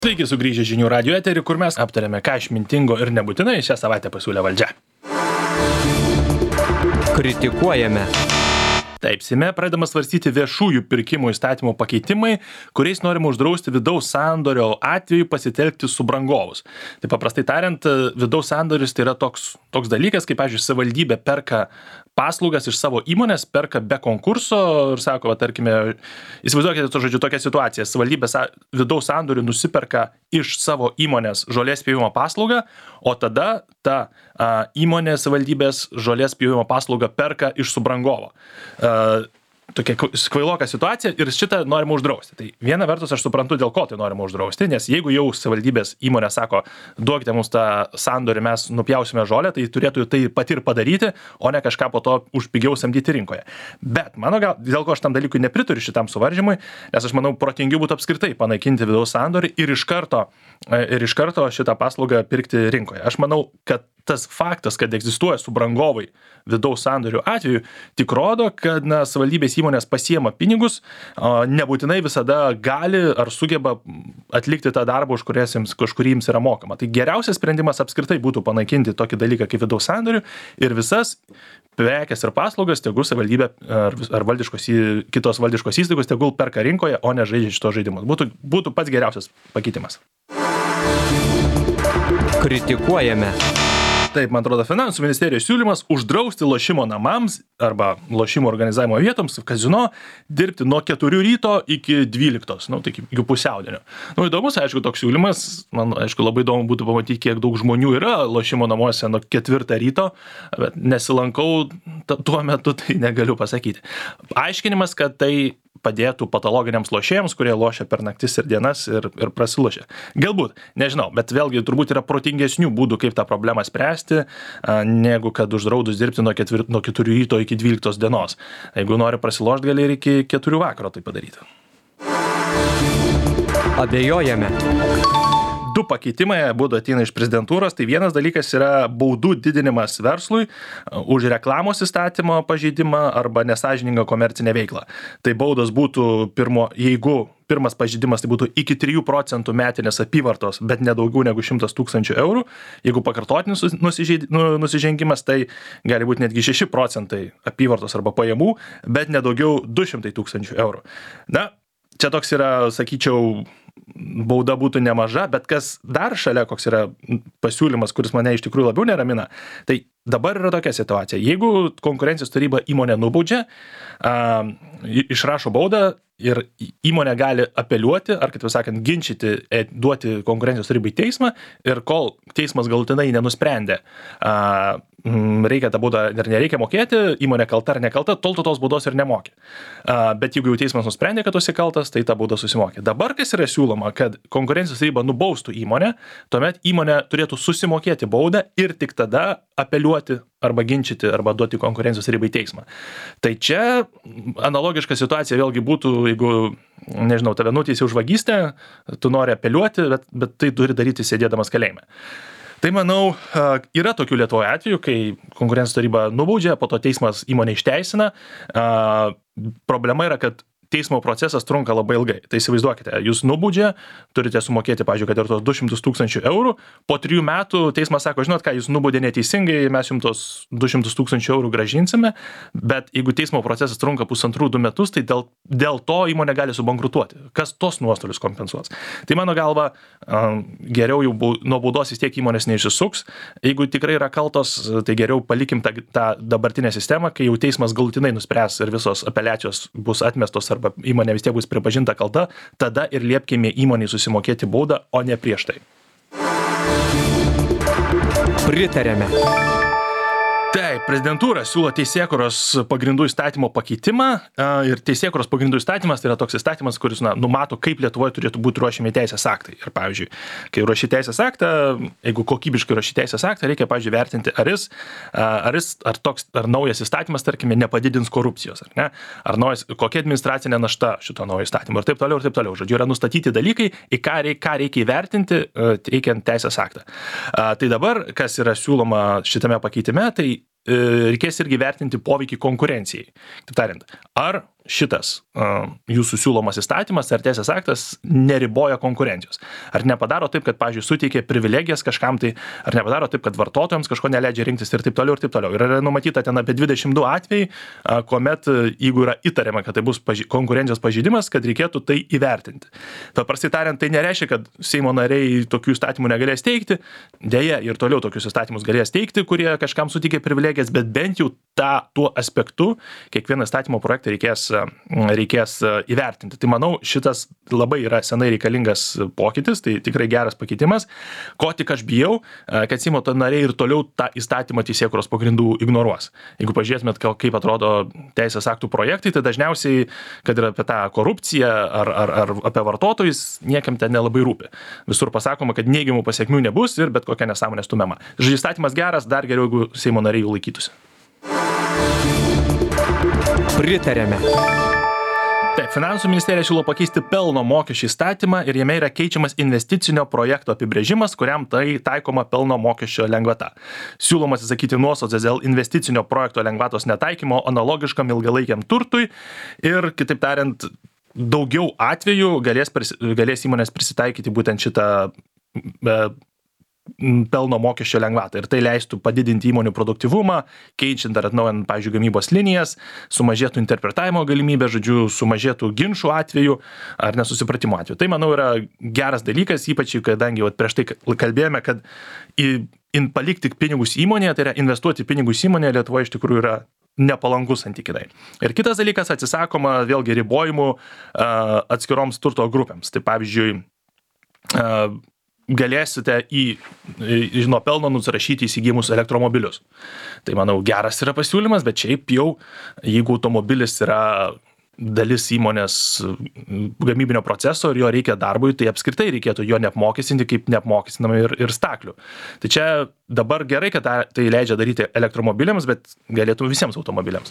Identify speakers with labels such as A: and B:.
A: Sveiki sugrįžę žinių radijo eterį, kur mes aptarėme, ką išmintingo ir nebūtinai šią savaitę pasiūlė valdžia.
B: Kritikuojame.
A: Taip, Seime pradedama svarstyti viešųjų pirkimų įstatymų pakeitimai, kuriais norima uždrausti vidaus sandorio atveju pasitelkti subrangovus. Tai paprastai tariant, vidaus sandoris tai yra toks dalykas, kaip, pavyzdžiui, savivaldybė perka paslaugas iš savo įmonės, perka be konkurso ir sako, tarkime, įsivaizduokite, tokia situacija, savivaldybė vidaus sandorių nusiperka iš savo įmonės žolės pjovimo paslaugą, o tada ta įmonė savivaldybės žolės pjovimo paslaugą perka iš subrangovo. Tokia kvailoka situacija ir šitą norima uždrausti. Tai viena vertus aš suprantu, dėl ko tai norima uždrausti, nes jeigu jau savivaldybės įmonė sako, duokite mums tą sandorį, mes nupjausime žolę, tai turėtų tai pati ir padaryti, o ne kažką po to už pigiau samdyti rinkoje. Bet dėl ko aš tam dalykui nepritariu šitam suvaržymui, nes aš manau, protingiau būtų apskritai panaikinti vidaus sandorį ir iš karto šitą paslaugą pirkti rinkoje. Aš manau, kad tas faktas, kad egzistuoja subrangovai vidaus sandorių atveju, tik rodo, kad savivaldybės įmonės pasiema pinigus, nebūtinai visada gali ar sugeba atlikti tą darbą, už kurį jiems yra mokama. Tai geriausias sprendimas apskritai būtų panaikinti tokį dalyką kaip vidaus sandorių ir visas prekes ir paslaugas tegul savivaldybė ar kitos valdiškos įstaigos tegul perka rinkoje, o ne žaidžia šitos žaidimus. Būtų pats geriausias pakeitimas.
B: Kritikuojame.
A: Taip, man atrodo, Finansų ministerijos siūlymas uždrausti lošimo namams arba lošimo organizavimo vietoms, kazino, dirbti nuo 4 ryto iki 12, tai iki pusiaudienio. Įdomus, aišku, toks siūlymas, man, aišku, labai įdomu būtų pamatyti, kiek daug žmonių yra lošimo namuose nuo 4 ryto, bet nesilankau tuo metu, tai negaliu pasakyti. Aiškinimas, kad tai padėtų patologiniams lošėjams, kurie lošia per naktis ir dienas ir prasilošia. Galbūt, nežinau, bet vėlgi turbūt yra protingesnių būdų, kaip tą problemą spręsti, negu kad uždraudus dirbti nuo 4 ryto iki 12 dienos. Jeigu nori prasilošti, gali ir iki 4 vakaro tai padaryti.
B: Abejojame.
A: 2 pakeitimai abudu ateina iš prezidentūros. Tai vienas dalykas yra baudų didinimas verslui už reklamos įstatymo pažeidimą arba nesąžiningą komercinę veiklą. Tai baudos būtų jeigu pirmas pažeidimas tai būtų iki 3% metinės apyvartos, bet nedaugiau negu 100 000 eurų. Jeigu pakartotinis nusižengimas, tai gali būti netgi 6% apyvartos arba pajamų, bet nedaugiau 200 000 eurų. Čia toks yra, sakyčiau, bauda būtų nemaža, bet kas dar šalia, koks yra pasiūlymas, kuris mane iš tikrųjų labiau neramina, tai dabar yra tokia situacija. Jeigu konkurencijos taryba įmonę nubaudžia, išrašo baudą ir įmonė gali apeliuoti, ar kitaip sakant, ginčyti, duoti konkurencijos tarybai teismą ir kol teismas galutinai nenusprendė, reikia tą baudą ir nereikia mokėti, įmonė kalta ar nekalta, tol tu tos baudos ir nemokė. Bet jeigu jau teismas nusprendė, kad tu esi kaltas, tai tą baudą susimokė. Dabar kas yra siūloma, kad konkurencijos taryba nubaustų įmonę, tuomet įmonė turėtų susimokėti baudą ir tik tada apeliuoti arba ginčyti, arba duoti konkurencijos tarybai teismą. Tai čia analogiška situacija vėlgi būtų, jeigu, nežinau, tave nuteisė už vagystę, tu nori apeliuoti, bet tai turi daryti sėdėdamas kalėjime. Tai manau, yra tokių Lietuvoje atvejų, kai konkurencijos taryba nubaudžia, po to teismas įmonę išteisina. Problema yra, kad teismo procesas trunka labai ilgai. Tai įsivaizduokite, jūs nubaudžia, turite sumokėti, pavyzdžiui, kad ir tos 200 000 eurų, po 3 metų teismas sako, žinot ką, jūs nubaudė neteisingai, mes jums tos 200 000 eurų gražinsime, bet jeigu teismo procesas trunka 1,5–2 metus, tai dėl to įmonė gali subankrutuoti. Kas tos nuostolius kompensuos? Tai mano galva, geriau jau nuo baudos vis tiek įmonės neišsisuks. Jeigu tikrai yra kaltos, tai geriau palikim tą dabartinę sistemą, kai jau teismas galutinai nuspręs ir visos apeliacijos bus atmestos arba įmonė vis tiek bus pripažinta kalta, tada ir liepkime įmonei susimokėti baudą, o ne prieš tai.
B: Pritarėme.
A: Taip, prezidentūra siūlo teisėkūros pagrindų įstatymo pakeitimą ir teisėkūros pagrindų įstatymas tai yra toks įstatymas, kuris numato, kaip Lietuvoje turėtų būti ruošiami teisės aktai. Ir pavyzdžiui, kai ruoši teisės aktą, jeigu kokybiškai ruoši teisės aktą, reikia, pavyzdžiui, vertinti, ar naujas įstatymas, tarkime, nepadidins korupcijos, ar ne? Kokia administracinė našta šito naujo įstatymo ir taip toliau ir taip toliau. Žodžiu, yra nustatyti dalykai, į ką reikia įvertinti, teikiant teisės aktą. Tai dabar, kas yra siūloma šitame pakeitime, tai reikės irgi vertinti poveikį konkurencijai. Taip tariant, ar šitas jūsų siūlomas įstatymas ar teisės aktas neriboja konkurencijos. Ar nepadaro taip, kad, pavyzdžiui, suteikia privilegijas kažkam tai, ar nepadaro taip, kad vartotojams kažko neleidžia rinktis ir taip toliau ir taip toliau. Ir yra numatyta ten apie 22 atvejai, kuomet, jeigu yra įtariama, kad tai bus konkurencijos pažeidimas, kad reikėtų tai įvertinti. Paprastai tariant, tai nereiškia, kad Seimo nariai tokių įstatymų negalės teikti, dėja ir toliau tokius įstatymus galės teikti, kurie kažkam suteikia privilegijas, bet bent jau tuo aspektu kiekvieną įstatymo projektą reikės įvertinti. Tai manau, šitas labai yra senai reikalingas pokytis, tai tikrai geras pakeitimas. Ko tik aš bijau, kad Seimo nariai ir toliau tą įstatymą teisėkūros pagrindų ignoruos. Jeigu pažiūrėtumėt, kaip atrodo teisės aktų projektai, tai dažniausiai, kad ir apie tą korupciją ar apie vartotojus, niekam ten nelabai rūpi. Visur pasakoma, kad neigiamų pasiekmių nebus ir bet kokia nesąmonė stumiama. Žodžiu, įstatymas geras, dar geriau, jeigu Seimo nariai jų laikytųsi.
B: Pritarėme.
A: Taip, Finansų ministerija siūlo pakeisti pelno mokesčio įstatymą ir jame yra keičiamas investicinio projekto apibrėžimas, kuriam tai taikoma pelno mokesčio lengvata. Siūloma atsisakyti nuostatos dėl investicinio projekto lengvatos netaikymo analogiškam ilgalaikiam turtui ir, kitaip tariant, daugiau atvejų galės įmonės prisitaikyti būtent šitą pelno mokesčio lengvatą. Ir tai leistų padidinti įmonių produktyvumą, keičiant ar atnaujant, pavyzdžiui, gamybos linijas, sumažėtų interpretavimo galimybė, žodžiu, sumažėtų ginčų atveju ar nesusipratimo atveju. Tai, manau, yra geras dalykas, ypač kadangi prieš tai kalbėjome, kad palikti pinigus įmonėje, tai yra investuoti pinigus įmonėje Lietuvoje iš tikrųjų yra nepalankus santykinai. Ir kitas dalykas, atsisakoma vėlgi ribojimų atskiroms turto grupėms. Tai pavyzdžiui, galėsite nuo pelno nusirašyti įsigijimus elektromobilius. Tai, manau, geras yra pasiūlymas, bet šiaip jau, jeigu automobilis yra dalis įmonės gamybinio proceso ir jo reikia darbui, tai apskritai reikėtų jo neapmokestinti, kaip neapmokestinama ir staklių. Tai čia dabar gerai, kad tai leidžia daryti elektromobiliams, bet galėtų visiems automobiliams.